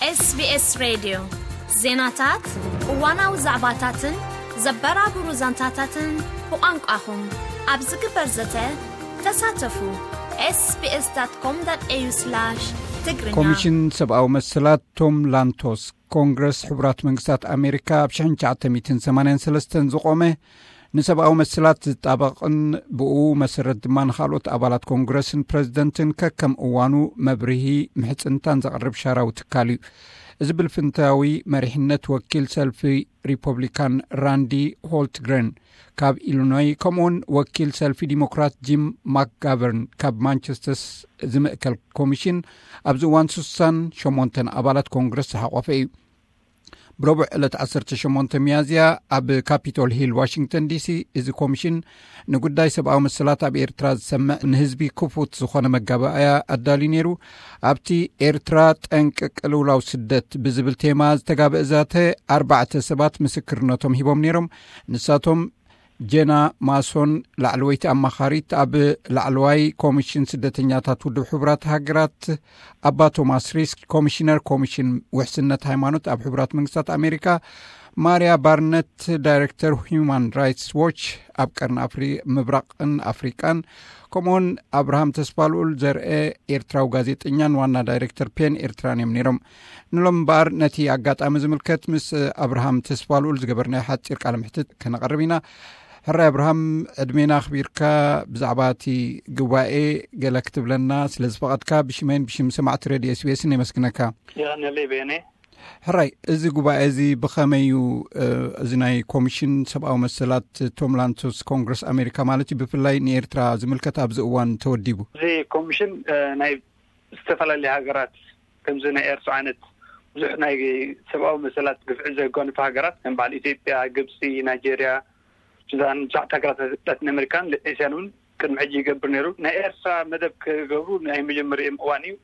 SBS ሬድዮ፣ ዜናታት፣ እዋናዊ ዛዕባታትን ዘበራብሩ ዛንታታትን ብቋንቋኹም ኣብ ዝግበር ዘተ ተሳተፉ። SBS.com.au/ትግርኛ። ኮሚሽን ሰብኣዊ መሰላት ቶም ላንቶስ፣ ኮንግረስ ሕቡራት መንግስታት ኣሜሪካ ኣብ ሽሕን ትሽዓተ ሚእትን ሰማንያን ሰለስተን ዝቖመ፣ ንሰብኣዊ መሰላት ዝጣበቕን ብኡ መሰረት ድማ ንኻልኦት ኣባላት ኮንግረስን ፕረዚደንትን ከከም እዋኑ መብርሂ ምሕጽንታን ዘቕርብ ሻራዊ ትካል እዩ። እዚ ብልፍንታዊ መሪሕነት ወኪል ሰልፊ ሪፐብሊካን ራንዲ ሆልትግረን ካብ ኢሊኖይ፣ ከምኡውን ወኪል ሰልፊ ዲሞክራት ጂም ማክጋቨርን ካብ ማንቸስተርስ ዝምእከል ኮሚሽን፣ ኣብዚ እዋን ስሳን ሸሞንተን ኣባላት ኮንግረስ ዝሓቖፈ እዩ። ብረቡዕ ዕለት ዓሰርተ ሸሞንተ ሚያዝያ ኣብ ካፒቶል ሂል ዋሽንግተን ዲሲ፣ እዚ ኮሚሽን ንጉዳይ ሰብኣዊ መሰላት ኣብ ኤርትራ ዝሰምዕ፣ ንህዝቢ ክፉት ዝኾነ መጋባእያ ኣዳልዩ ነይሩ። ኣብቲ ኤርትራ ጠንቂ ቅልውላው ስደት ብዝብል ቴማ ዝተጋበአ ዛተ፣ ኣርባዕተ ሰባት ምስክርነቶም ሂቦም ነይሮም። ንሳቶም ጄና ማሶን፣ ላዕለወይቲ ኣማኻሪት ኣብ ላዕለዋይ ኮሚሽን ስደተኛታት ውድብ ሕቡራት ሃገራት፣ ኣባ ቶማስ ሪስክ፣ ኮሚሽነር ኮሚሽን ውሕስነት ሃይማኖት ኣብ ሕቡራት መንግስታት ኣሜሪካ፣ ማርያ ባርነት፣ ዳይሬክተር ሁማን ራይትስ ዎች ኣብ ቀርኒ ኣፍሪ-፣ ምብራቕን ኣፍሪቃን፣ ከምኡውን ኣብርሃም ተስፋልኡል ዘርአ፣ ኤርትራዊ ጋዜጠኛን ዋና ዳይሬክተር ፔን ኤርትራን እዮም ነይሮም። ንሎም እምበኣር ነቲ ኣጋጣሚ ዝምልከት ምስ ኣብርሃም ተስፋልኡል ዝገበርናዮ ሓጺር ቃለ ምሕትት ከነቐርብ ኢና። ሕራይ ኣብርሃም፣ ዕድሜና ኣኽቢርካ ብዛዕባ እቲ ጉባኤ ገለ ክትብለና ስለ ዝፈቐድካ፣ ብሽመይን ብሽም ሰማዕቲ ሬድዮ SBS የመስግነካ። የቐንየለይ በየነ። ሕራይ፣ እዚ ጉባኤ እዚ ብኸመይ እዩ፣ እ፣ እዚ ናይ ኮሚሽን ሰብኣዊ መሰላት ቶም ላንቶስ ኮንግረስ ኣሜሪካ ማለት እዩ፣ ብፍላይ ንኤርትራ ዝምልከት ኣብዚ እዋን ተወዲቡ? እዚ ኮሚሽን፣ እ፣ ናይ ዝተፈላለዩ ሃገራት ከምዚ ናይ ኤርትራ ዓይነት ብዙሕ ናይ ሰብኣዊ መሰላት ግፍዒ ዘጓንፋ ሃገራት ከም በዓል ኢትዮጵያ፣ ግብፂ፣ ናይጄርያ፣ ሱዳን፣ ብዙሓት ሃገራት ላቲን ኣሜሪካን ኤስያን እውን ቅድሚ ሕጂ ይገብር ነይሩ። ናይ ኤርትራ መደብ ክገብሩ ናይ መጀመሪኦም እዋን እዩ።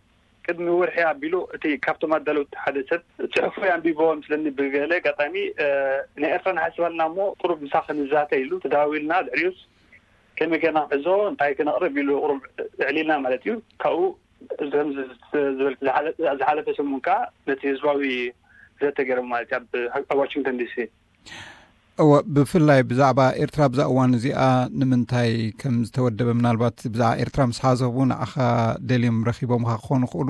ቅድሚ ወርሒ ኣቢሉ እቲ ካብቶም ኣዳለውቲ ሓደ ሰብ ጽሑፉ ኣንቢቦ መስለኒ ብገለ ኣጋጣሚ፣ እ፣ ናይ ኤርትራ ንሓስባልና እሞ ቁሩብ ምሳኺ ንዛተ ኢሉ ተዳዊልና። ድሕሪኡስ ከመይ ጌርና ክንሕዞ፣ እንታይ ክነቕርብ ኢሉ ቁሩብ ኣዕሊልና ማለት እዩ። ካብኡ ከምዚ ዝበልክ ዝሓለ-፣ ዝሓለፈ ሰሙን ከኣ ነቲ ህዝባዊ ዘተ ገይሮም ማለት እዩ ኣብ፣ ኣብ ዋሽንግተን ዲሲ። እወ፣ ብፍላይ ብዛዕባ ኤርትራ ኣብዛ እዋን እዚኣ ንምንታይ ከም ዝተወደበ፣ ምናልባት ብዛዕባ ኤርትራ ምስ ሓሰቡ ንዓኻ ደልዮም ረኺቦምኻ ክኾኑ ይኽእሉ፣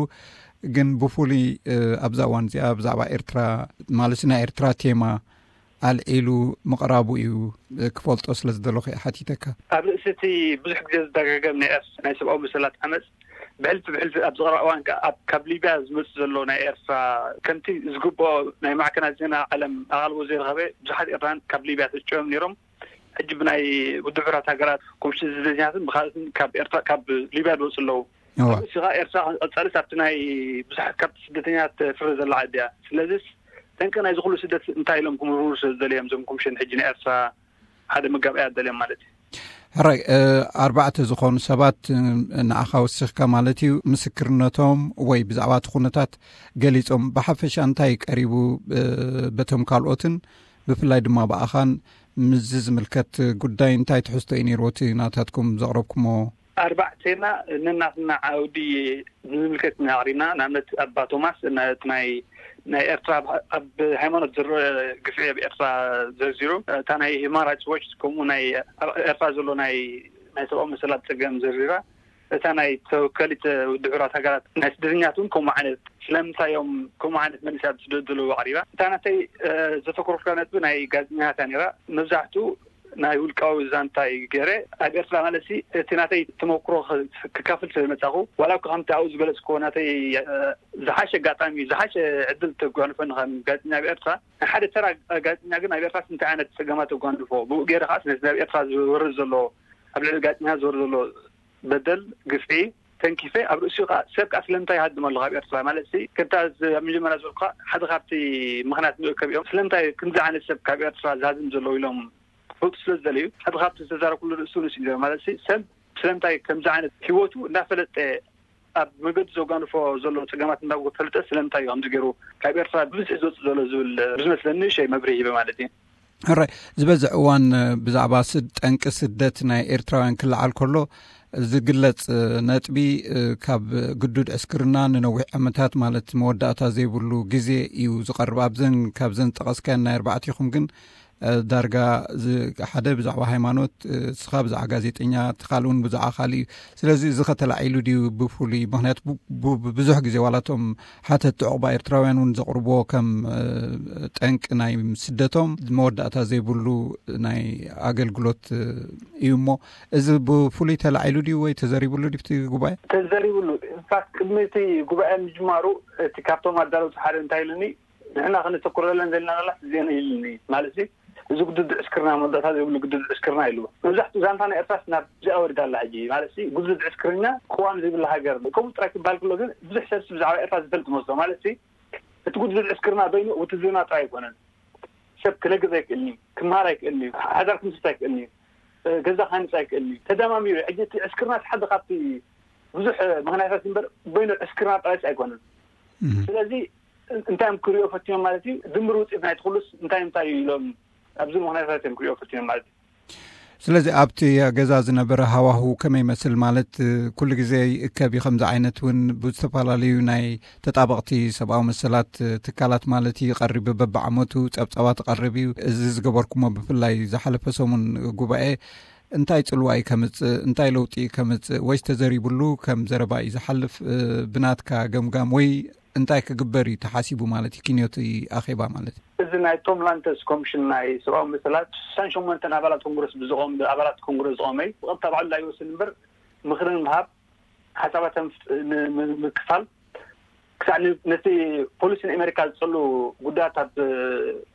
ግን ብፍሉይ፣ እ፣ ኣብዛ እዋን እዚኣ ብዛዕባ ኤርትራ፣ ማለት ናይ ኤርትራ ቴማ ኣልዒሉ ምቕራቡ እዩ፣ እ፣ ክፈልጦ ስለ ዝደለኹ እየ ሓቲተካ። ኣብ ርእሲ እቲ ብዙሕ ግዜ ዝደጋገም ናይ ኤርትራ ናይ ሰብኣዊ መሰላት ዓመጽ፣ ብሕልፊ ብሕልፊ ኣብ ዝቐረባ እዋን ከኣ ኣብ፣ ካብ ሊብያ ዝመጽእ ዘሎ ናይ ኤርትራ፣ ከምቲ ዝግብኦ ናይ ማዕከናት ዜና ዓለም ኣቓልቦ ዘይረኸበ፣ ብዙሓት ኤርትራውያን ካብ ሊብያ ተጭዮም ነይሮም። ሕጂ ብናይ ውድብ ሕቡራት ሃገራት ኮሚሽን ስደተኛታትን ብኻልኦትን ካብ ኤርትራ፣ ካብ ሊብያ ዝወጹ ኣለዉ። እዋ። እዚ ኸኣ ኤርትራ ቀጻልስ ኣብቲ ናይ ብዙሓት ካብ ስደተኛታት ትፍረ ዘላ ዓዲ እያ። ስለዚስ ጠንቂ ናይዚ ኩሉ ስደት እንታይ ኢሎም ክምርምሩ ስለ ዝደለዮም እዞም ኮሚሽን ሕጂ ንኤርትራ ሓደ መጋብኣያ ኣደልዮም ማለት እዩ። ሕራይ፣ እ፣ ኣርባዕተ ዝኾኑ ሰባት፣ እ፣ ንዓኻ ወሲኽካ ማለት እዩ፣ ምስክርነቶም ወይ ብዛዕባ እቲ ኩነታት ገሊጾም። ብሓፈሻ እንታይ ቀሪቡ፣ እ፣ በቶም ካልኦትን ብፍላይ ድማ ብኣኻን ምስዚ ዝምልከት ጉዳይ እንታይ ትሕዝቶ እዩ ነይርዎ እቲ ናታትኩም ዘቕረብኩሞ? ኣርባዕቴና ነናትና ዓውዲ ዝምልከት ኢና ኣቕሪብና። ንኣብነት ኣባ ቶማስ ነቲ ናይ፣ ናይ ኤርትራ ኣብ፣ ኣብ ሃይማኖት ዝረአ ግፍዒ ኣብ ኤርትራ ዘርዚሩ፣ እታ ናይ ሂማን ራይትስ ዎች ከምኡ ናይ ኣብ ኤርትራ ዘሎ ናይ፣ ናይ ሰብኣዊ መሰላት ጸገም ዘርዚራ፣ እታ ናይ ተወካሊት ውድብ ሕቡራት ሃገራት ናይ ስደተኛት እውን ከምኡ ዓይነት ስለምንታይ እዮም ከምኡ ዓይነት መልሲ ኣብ ዝስደዱ ዘለዉ ኣቕሪባ። እታ ናተይ፣ እ፣ ዘተኮርኩላ ነጥቢ ናይ ጋዜጠኛታት እያ ነይራ። መብዛሕትኡ ናይ ውልቃዊ ዛንታይ ገይረ ኣብ ኤርትራ ማለት ሲ እቲ ናተይ ተመክሮ ክ-፣ ክካፍል ስለ ዝመጻኹ፣ ዋላ እኳ ከምቲ ኣብኡ ዝገለጽክዎ ናተይ፣ እ፣ ዝሓሸ ኣጋጣሚ፣ ዝሓሸ ዕድል ተጓንፈኒ ከም ጋዜጠኛ ኣብ ኤርትራ፣ ንሓደ ተራ ጋዜጠኛ ግን ኣብ ኤርትራ እንታይ ዓይነት ጸገማት ተጓንፎ፣ ብኡ ገይረ ከኣ ነቲ ኣብ ኤርትራ ዝወርድ ዘሎ፣ ኣብ ልዕሊ ጋዜጠኛ ዝወርድ ዘሎ በደል፣ ግፍዒ ተንኪፈ፣ ኣብ ርእሲኡ ከኣ ሰብ ከኣ ስለምንታይ ይሃድም ኣሎ ካብ ኤርትራ ማለት ሲ፣ ከምታ ዝ-፣ ኣብ መጀመርያ ዝበልኩኻ ሓደ ካብቲ ምኽንያት መእከቢኦም ስለምንታይ ክንዚ ዓይነት ሰብ ካብ ኤርትራ ዝሃድም ዘለዉ ኢሎም ክፈልጡ ስለ ዝደለዩ፣ ሓደ ካብቲ ዝተዛረብኩሉ ርእሱ ንሱ እዩ ማለት ሲ፣ ሰብ ስለምንታይ ከምዚ ዓይነት ህይወቱ እንዳፈለጠ ኣብ መገዱ ዘጓንፎ ዘሎ ጸገማት እንዳፈለጠ ስለምንታይ እዩ ከምዚ ገይሩ ካብ ኤርትራ ብብዝሒ ዝወጽእ ዘሎ ዝብል ብዙ መስለኒ ንእሽተይ መብርሂ ሂበ ማለት እዩ። ሕራይ፣ ዝበዝሕ እዋን ብዛዕባ ስድ-፣ ጠንቂ ስደት ናይ ኤርትራውያን ክለዓል ከሎ፣ ዝግለጽ ነጥቢ፣ ካብ ግዱድ ዕስክርና ንነዊሕ ዓመታት፣ ማለት መወዳእታ ዘይብሉ ግዜ እዩ ዝቐርብ። ኣብዘን ካብዘን ዝጠቐስካየን ናይ ኣርባዕቲኹም ግን ዳርጋ ሓደ ብዛዕባ ሃይማኖት፣ ስኻ ብዛዕባ ጋዜጠኛ፣ እቲ ካልእ እውን ብዛዕባ ካልእ እዩ። ስለዚ እዚ ከተላዒሉ ድዩ ብፍሉይ? ምክንያቱ ብዙሕ ግዜ ዋላቶም ሓተቲ ዕቑባ ኤርትራውያን እውን ዘቕርብዎ ከም ጠንቂ ናይ ስደቶም መወዳእታ ዘይብሉ ናይ ኣገልግሎት እዩ። እሞ እዚ ብፍሉይ ተላዒሉ ድዩ ወይ ተዘሪብሉ ድዩ ብቲ ጉባኤ? ተዘሪብሉ። ኢንፋክት ቅድሚ እቲ ጉባኤ ምጅማሩ እቲ ካብቶም ኣዳለውቲ ሓደ እንታይ ኢሉኒ፣ ንሕና ክንተኩረለን ዘለና ቃላት እዚአን ኢሉኒ። ማለት እዚ ግዱድ ዕስክርና፣ መወዳእታ ዘይብሉ ግዱድ ዕስክርና ኢሉ። መብዛሕትኡ ዛንታ ናይ ኤርትራስ ናብ እዚኣ ወሪዳ ኣላ ሕጂ። ማለት ግዱድ ዕስክርና፣ ቅዋም ዘይብላ ሃገር ከምኡ ጥራይ ክበሃል ከሎ ግን ብዙሕ ሰብ ብዛዕባ ኤርትራ ዝፈልጥ መስሎ። ማለት እቲ ግዱድ ዕስክርና በይኑ ውትድርና ጥራይ ኣይኮነን። ሰብ ክነግር ኣይክእልኒ፣ ክመሃር ኣይክእልኒ፣ ሓዳር ክምስርት ኣይክእልኒ፣ ገዛ ክሃንጽ ኣይክእልኒ። ተደማሚሩ ሕጂ እቲ ዕስክርና ሓደ ካብቲ ብዙሕ ምክንያታት እምበር በይኑ ዕስክርና ጥራይስ ኣይኮነን። ስለዚ እንታይ እዮም ክሪኦ ፈቲኖም ማለት እዩ? ድምር ውፅኢት ናይቲ ኩሉስ እንታይ እንታይ እዩ ኢሎም ኣብዚ ምክንያታት እዮም ክሪኦ ፈቲኖም ማለት እዩ። ስለዚ ኣብቲ ገዛ ዝነበረ ሃዋሁ ከመይ ይመስል? ማለት ኩሉ ግዜ ይእከብ እዩ። ከምዚ ዓይነት እውን ብዝተፈላለዩ ናይ ተጣበቕቲ ሰብኣዊ መሰላት ትካላት ማለት እዩ ይቐርብ፣ በብዓመቱ ጸብጻባት ይቐርብ እዩ። እዚ ዝገበርኩሞ ብፍላይ ዝሓለፈ ሰሙን ጉባኤ እንታይ ጽልዋ እዩ ከምጽእ፣ እንታይ ለውጢ እዩ ከምጽእ፣ ወይስ ተዘሪብሉ ከም ዘረባ እዩ ዝሓልፍ? ብናትካ ገምጋም ወይ እንታይ ክግበር እዩ ተሓሲቡ ማለት እዩ? ኪንዮቲ ኣኼባ ማለት እዩ። እዚ ናይ ቶም ላንተስ ኮሚሽን ናይ ሰብኣዊ መሰላት ሽሳን ሸሞንተን ኣባላት ኮንግረስ ብዝቆም ኣባላት ኮንግረስ ዝቆመ እዩ። ብቐጥታ ባዕሉ ኣይወስን እምበር ምኽሪ ንምሃብ፣ ሓሳባትን ምክፋል፣ ክሳዕ ነቲ ፖሊሲ ንኣሜሪካ ዝጸሉ ጉዳያት ኣብ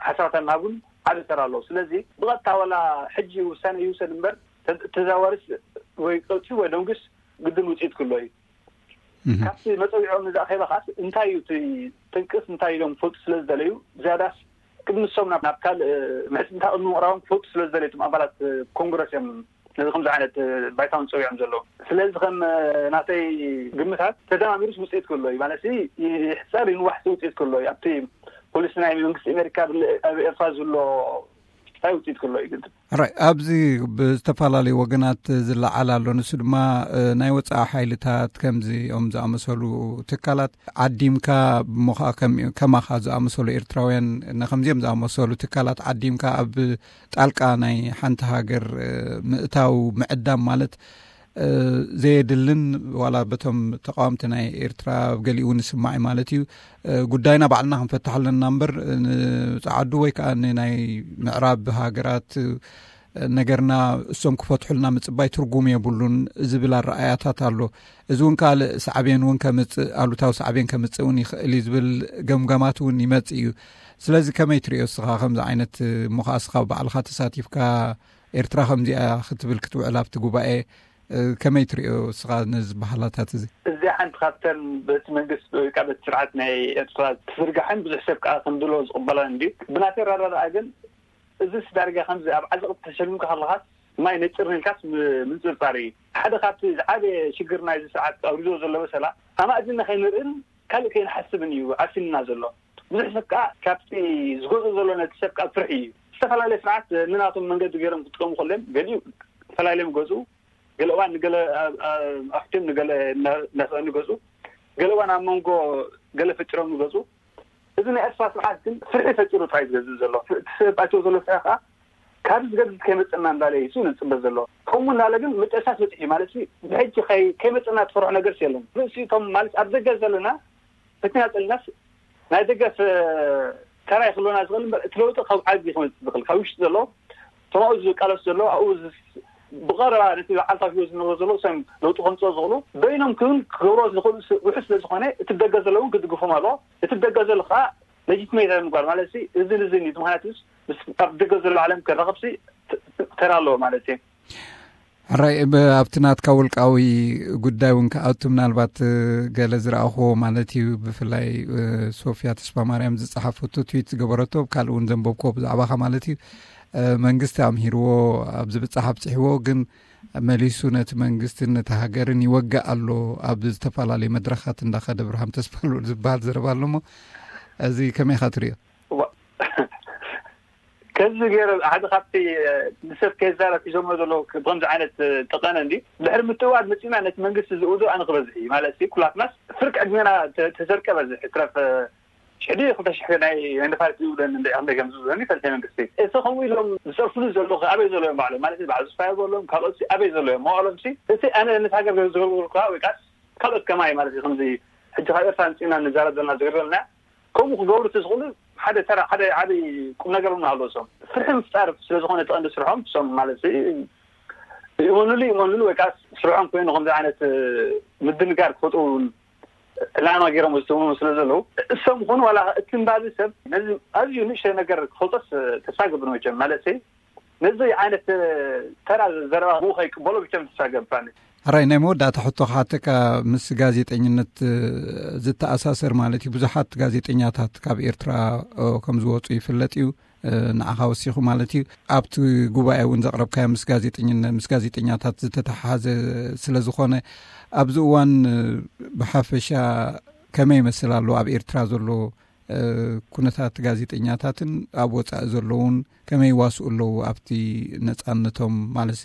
ሓሳባትን ምሃቡን ዓቢ ተራ ኣለዎ። ስለዚ ብቐጥታ ዋላ ሕጂ ውሳነ ይውሰድ እምበር ተዘዋዋሪስ ወይ ቀልጢ ወይ ደንጉስ ግድን ውፅኢት ክሎ እዩ። ካብቲ መፀዊዖም ንዛ ኣኼባ ከዓስ እንታይ እዩ እቲ ጥንቅስ እንታይ ኢሎም ክፈልጡ ስለ ዝደለዩ ዝያዳስ ቅድሚ ንሶም ናብ ካልእ ምሕፅንታ ቅድሚ ምቕራቦም ክፈልጡ ስለ ዝደለዩ እቶም ኣባላት ኮንግረስ እዮም ነዚ ከምዚ ዓይነት ባይታውን ፀዊዖም ዘለዉ። ስለዚ ከም ናተይ ግምታት ተደማሚሩስ ውፅኢት ክህሎ እዩ ማለት ይሕፀር ይንዋሕሲ ውፅኢት ክህሎ እዩ። ኣብቲ ፖሊሲ ናይ መንግስቲ ኣሜሪካ ኣብ ኤርትራ ዝህሎ እንታይ ውፅኢት ክህሎ እዩ ግልፂ። ራይ ኣብዚ ብዝተፈላለዩ ወገናት ዝለዓል ኣሎ። ንሱ ድማ ናይ ወፃኢ ሓይልታት ከምዚኦም ዝኣመሰሉ ትካላት ዓዲምካ፣ እሞ ከዓ ከማኻ ዝኣመሰሉ ኤርትራውያን ንከምዚኦም ዝኣመሰሉ ትካላት ዓዲምካ ኣብ ጣልቃ ናይ ሓንቲ ሃገር ምእታው ምዕዳም ማለት ዘየድልን ዋላ በቶም ተቃወምቲ ናይ ኤርትራ ገሊኡ ንስማዕ ማለት እዩ። ጉዳይና ባዕልና ክንፈትሕ ኣለና እምበር ንፃዓዱ ወይ ከዓ ንናይ ምዕራብ ሃገራት ነገርና እሶም ክፈትሑልና ምፅባይ ትርጉም የብሉን ዝብል ኣረኣያታት ኣሎ። እዚ እውን ካልእ ሳዕቤን እውን ከምፅእ፣ ኣሉታዊ ሳዕቤን ከምፅእ እውን ይኽእል እዩ ዝብል ገምጋማት እውን ይመፅእ እዩ። ስለዚ ከመይ ትሪኦ እስኻ ከምዚ ዓይነት ምዃ እስኻ ባዕልኻ ተሳቲፍካ ኤርትራ ከምዚኣ ክትብል ክትውዕል ኣብቲ ጉባኤ ከመይ ትሪኦ እስኻ ነዚ ባህላታት እዚ? እዚኣ ሓንቲ ካብተን በቲ መንግስቲ ወይ ከዓ በቲ ስርዓት ናይ ኤርትራ ትዝርጋሕን ብዙሕ ሰብ ከዓ ከምድሎ ዝቕበላን እንድዩ። ብናተይ ኣረዳድኣ ግን እዚስ ዳርጋ ከምዚ ኣብ ዓዘቕቲ ተሸልምካ ከለኻስ ማይ ነጭርኒ ኢልካስ ምንፅርፃር እዩ። ሓደ ካብቲ ዝዓበየ ሽግር ናይዚ ስርዓት ኣውሪዶ ዘሎ በሰላ ኣማእዚና ከይንርእን ካልእ ከይንሓስብን እዩ ዓሲልና ዘሎ። ብዙሕ ሰብ ከዓ ካብቲ ዝገዝኦ ዘሎ ነቲ ሰብ ከዓ ፍርሒ እዩ። ዝተፈላለየ ስርዓት ንናቶም መንገዲ ገይሮም ክጥቀሙ ከሎም ገሊኡ ፈላልዮም ገዝኡ፣ ገለ እዋን ንገለ ኣሕትዮም ንገለ እናሰእኑ ገዝኡ፣ ገለ እዋን ኣብ መንጎ ገለ ፈጢሮም ገዝኡ። እዚ ናይ ኤርትራ ስርዓት ግን ፍርሒ ፈጢሩ ጥራይ ዝገዝእ ዘሎ። እቲ ሰብ ኣትዮ ዘሎ ፍርሒ ከዓ ካብ ዝገድድ ከይመፀና እንዳለ እዩ ንፅበ ዘሎ። ከምኡ እንዳለ ግን መጨረሻ በፂሑ ማለት ብሕጂ ከይመፀና ትፈርሖ ነገርስ የለን። ርእሲቶም ማለት ኣብ ደገ ዘለና በቲና ፀልናስ ናይ ደገ ተራ ይክልወና ዝኽእል እምበር እቲ ለውጢ ካብ ዓዲ ክመፅእ ዝኽእል ካብ ውሽጢ ዘሎ ተማኡ ዝቃለስ ዘሎ ኣብኡ ብቐረባ ነቲ በዓልታዊ ህይወት ዝነብሮ ዘሎ ሰም ለውጢ ከምፅኦ ዝኽእሉ በይኖም ክን ክገብሮ ዝኽእሉ ውሑ ስለ ዝኾነ እቲ ደገ ዘለውን ክድግፎም ኣለዎ። እቲ ደገ ዘሎ ከዓ ለጂትሜት ምግባር ማለት እዚ ንዝን እዩ። ምክንያቱ ኣብ ደገ ዘሎ ዓለም ክራኸብሲ ተራ ኣለዎ ማለት እዩ። ሕራይ ኣብቲ ናትካ ውልቃዊ ጉዳይ እውን ክኣቱ ምናልባት ገለ ዝረኣኽዎ ማለት እዩ። ብፍላይ ሶፊያ ተስፋ ማርያም ዝፀሓፈቶ ትዊት ዝገበረቶ ካልእ እውን ዘንበብክዎ ብዛዕባኻ ማለት እዩ። መንግስቲ ኣምሂርዎ ኣብ ዝብፃሕ ኣብፅሕዎ ግን መሊሱ ነቲ መንግስትን ነቲ ሃገርን ይወግእ ኣሎ ኣብ ዝተፈላለዩ መድረኻት እንዳኸደ ብርሃም ተስፋሉ ዝበሃል ዘረባ ኣሎ። እሞ እዚ ከመይ ኢኻ ትሪኦ? ከዚ ገይረ ሓደ ካብቲ ንሰብ ከይዛረብ ሒዞሞ ዘለዉ ብከምዚ ዓይነት ጠቐነ እንዲ ድሕሪ ምትእዋድ መፂና ነቲ መንግስቲ ዝእውዶ ኣነ ክበዝሕ እዩ ማለት ኩላትናስ ፍርቂ ዕድሜና ተሰርቀ በዝሕ ትረፍ ሽሕዲ ክልተ ሽሕ ናይ ናይ ነፋሪት ዝብለን እንደ ከም ዝብለን ይፈልጥ መንግስቲ እቲ ከምኡ ኢሎም ዝፀርፍሉ ዘለዉ ኣበይ ዘለዎም ባዕሎም ማለት በዓል ዝፋይ ዘለዎም ካልኦት ኣበይ ዘለዎም መዋእሎም ሲ እቲ ኣነ ነቲ ሃገር ዝገብሩ ከ ወይ ካስ ካልኦት ከማይ ማለት እዩ ከምዚ ሕጂ ካብ ኤርትራ ንፅና ንዛረብ ዘለና ዝገብረልና ከምኡ ክገብሩ እቲ ዝኽእሉ ሓደ ተራ ሓደ ዓብይ ቁም ነገር እውን ኣለዎ እሶም ፍርሒ ምፍጣር ስለዝኾነ ተቐንዲ ስርሖም እሶም ማለት ይእመኑሉ ይእመኑሉ ወይ ከዓ ስርሖም ኮይኑ ከምዚ ዓይነት ምድንጋር ክፈጥሩ ዕላማ ገይሮም ዝትውኑ ስለ ዘለዉ እሶም ኾኑ ዋላ እቲ ንባቢ ሰብ ነዚ ኣዝዩ ንእሽተ ነገር ክፈልጦስ ተስፋ ገብር መቸም ማለት ነዚ ዓይነት ተራ ዘረባ ብኡ ከይቅበሎ ብቸም ተስፋ ገብር ኣነ። ሕራይ ናይ መወዳእታ ሕቶ ክሓተካ ምስ ጋዜጠኝነት ዝተኣሳሰር ማለት እዩ ብዙሓት ጋዜጠኛታት ካብ ኤርትራ ከም ዝወፁ ይፍለጥ እዩ። ንዓኻ ወሲኹ ማለት እዩ። ኣብቲ ጉባኤ እውን ዘቕረብካዮ ምስ ጋዜጠኝነት ምስ ጋዜጠኛታት ዝተተሓሓዘ ስለ ዝኾነ ኣብዚ እዋን ብሓፈሻ ከመይ ይመስል ኣሎ ኣብ ኤርትራ ዘሎ ኩነታት ጋዜጠኛታትን ኣብ ወፃኢ ዘለውን ከመይ ይዋስኡ ኣለዉ ኣብቲ ነፃነቶም ማለት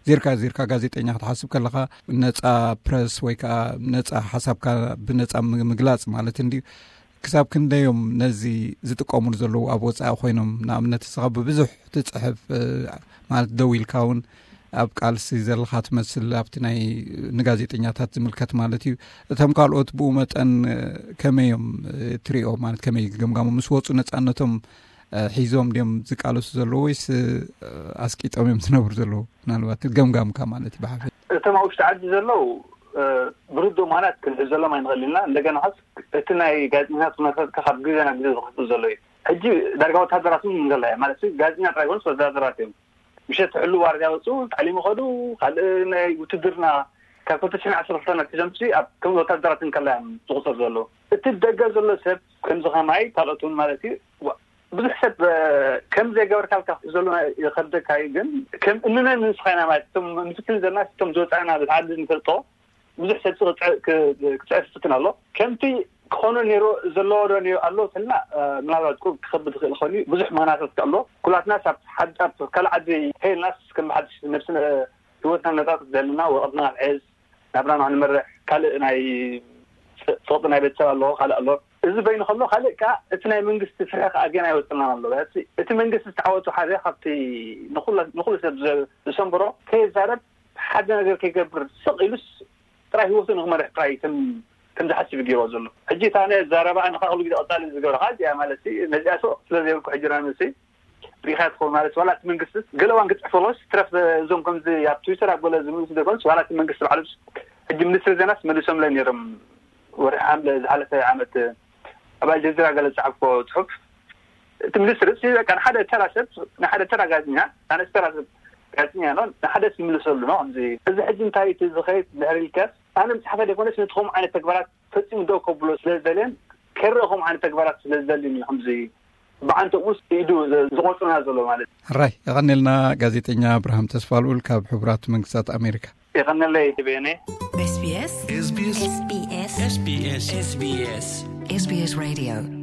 ዜርካ ዜርካ ጋዜጠኛ ክትሓስብ ከለኻ ነፃ ፕረስ ወይ ከዓ ነፃ ሓሳብካ ብነፃ ምግላፅ ማለት እንዲ ክሳብ ክንደዮም ነዚ ዝጥቀሙሉ ዘለዉ ኣብ ወፃኢ ኮይኖም ንኣብነት ስኻ ብብዙሕ ትፅሕፍ ማለት ደው ኢልካ እውን ኣብ ቃልሲ ዘለኻ ትመስል ኣብቲ ናይ ንጋዜጠኛታት ዝምልከት ማለት እዩ። እቶም ካልኦት ብኡ መጠን ከመይ እዮም ትሪኦ ማለት ከመይ ገምጋሞ ምስ ወፁ ነፃነቶም ሒዞም ድዮም ዝቃለሱ ዘለዉ ወይስ ኣስቂጦም እዮም ዝነብሩ ዘለዉ? ምናልባት ገምጋምካ ማለት እዩ ብሓፈ እቶም ኣብ ውሽጢ ዓዲ ዘለዉ ብርዶ ማለት ክንሕዘሎም ኣይንኽእል ኢና። እንደገና ኸስ እቲ ናይ ጋዜጠኛታት ኩነታት ካብ ግዜ ናብ ግዜ ዝኸፍእ ዘሎ እዩ። ሕጂ ዳርጋ ወታደራት እውን እንከላ ማለት ጋዜጠኛ ጥራይ ኮንስ ወታደራት እዮም። ምሸት ሕሉ ዋርድያ ወፁ ታዕሊም ይኸዱ ካልእ ናይ ውትድርና ካብ ክልተ ሽሕን ዓሰርተ ክልተን ኣትሒዞም ሲ ኣብ ከም ወታደራት እንከላ እዮም ዝቁፀር ዘሎ። እቲ ደገ ዘሎ ሰብ ከምዚ ከማይ ካልኦት እውን ማለት እዩ ብዙሕ ሰብ ከም ዘይገበርካ ኢልካ ክትሕዘሉ ይኸብደካ እዩ። ግን ከም እንነን ንስኻ ኢና ማለት እቶም ንፍትን ዘለና እቶም ዝወፃእና ብቲ ዓዲ ንፈልጦ ብዙሕ ሰብ ክፅዕር ክፍትን ኣሎ። ከምቲ ክኾኖ ነይሩ ዘለዎ ዶ ኣሎ ተልና ምናልባት ክኸብድ ይኽእል ይኸውን እዩ። ብዙሕ ምኽንያታት ኣሎ። ኩላትና ካብ ካልእ ዓዲ ከይልናስ ከም ብሓድሽ ነብስና ህይወትና ነፃ ክትደልና ወረቐትና ክንሕዝ ናብራና ክንመርሕ ካልእ ናይ ፀቕጢ ናይ ቤተሰብ ኣሎ ካልእ ኣሎ። እዚ በይኑ ከሎ ካልእ ከዓ እቲ ናይ መንግስቲ ፍርሒ ከዓ ገና ኣይወፅልናን ኣሎ። እቲ መንግስቲ ዝተዓወቱ ሓደ ካብቲ ንኩሉ ሰብ ዝሰንብሮ ከይዛረብ ሓደ ነገር ከይገብር ስቕ ኢሉስ ጥራይ ህይወቱ ንክመርሕ ጥራይ ከም ከም ዝሓስብ ገይርዎ ዘሎ። ሕጂ እታ ነ ዘረባ ንካ ኩሉ ግዜ ቀፃሊ ዝገብረካ እዚኣ ማለት ነዚኣ ስቕ ስለ ዘይብልኩ ሕጂ ና ንሲ ሪኢኻ ትኸውን ማለት ዋላ እቲ መንግስቲ ገለ እዋን ክፅሕፈሎስ ትረፍ እዞም ከምዚ ኣብ ትዊተር ኣብ ገለ ዝምልሱ ደገምስ ዋላ እቲ መንግስቲ ባዕሉ ሕጂ ሚኒስትሪ ዜናስ መሊሶምለ ነይሮም ወርሒ ሓምለ ዝሓለፈ ዓመት ኣብ ኣልጀዚራ ገለ ዝፀሓፍኮ ፅሑፍ እቲ ሚኒስትሪ ሲ በቃ ንሓደ ተራ ሰብ ንሓደ ተራ ጋዜጠኛ ኣነስ ተራ ሰብ ጋዜጠኛ ኖ ንሓደ ዝምልሰሉ ኖ ከምዚ እዚ ሕጂ እንታይ እቲ ዝኸይድ ድሕሪ ኢልካስ ኣነ ምፅሓፈ ደይኮነስ ነቲ ከምኡ ዓይነት ተግባራት ፈፂሙ ደው ከብሎ ስለ ዝደልየን ከይረአ ከምኡ ዓይነት ተግባራት ስለ ዝደልዩ እዩ ከምዚ ብዓንተኡ ውስጥ ኢዱ ዝቆፅና ዘሎ ማለት እዩ። ሕራይ የቐኔልና ጋዜጠኛ ኣብርሃም ተስፋልኡል ካብ ሕቡራት መንግስታት ኣሜሪካ። የቐነለይ ቤኔ SBS SBS SBS SBS SBS Radio